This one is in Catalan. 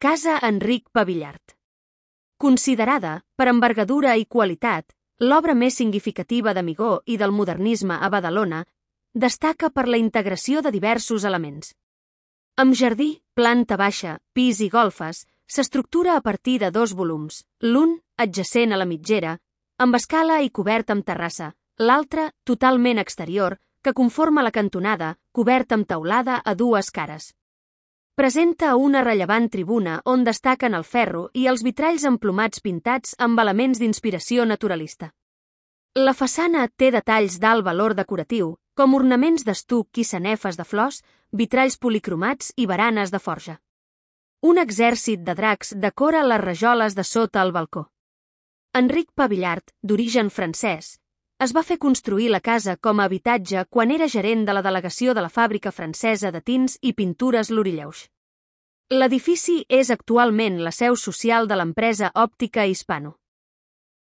Casa Enric Pavillart. Considerada, per envergadura i qualitat, l'obra més significativa d'Amigó i del modernisme a Badalona, destaca per la integració de diversos elements. Amb jardí, planta baixa, pis i golfes, s'estructura a partir de 2 volums, l'un, adjacent a la mitgera, amb escala i cobert amb terrassa, l'altre, totalment exterior, que conforma la cantonada, cobert amb teulada a 2 cares. Presenta una rellevant tribuna on destaquen el ferro i els vitralls emplomats pintats amb elements d'inspiració naturalista. La façana té detalls d'alt valor decoratiu, com ornaments d'estuc i sanefes de flors, vitralls policromats i baranes de forja. Un exèrcit de dracs decora les rajoles de sota el balcó. Enric Pavillart, d'origen francès, es va fer construir la casa com a habitatge quan era gerent de la delegació de la fàbrica francesa de tints i pintures Lorilleuix. L'edifici és actualment la seu social de l'empresa òptica Hispano.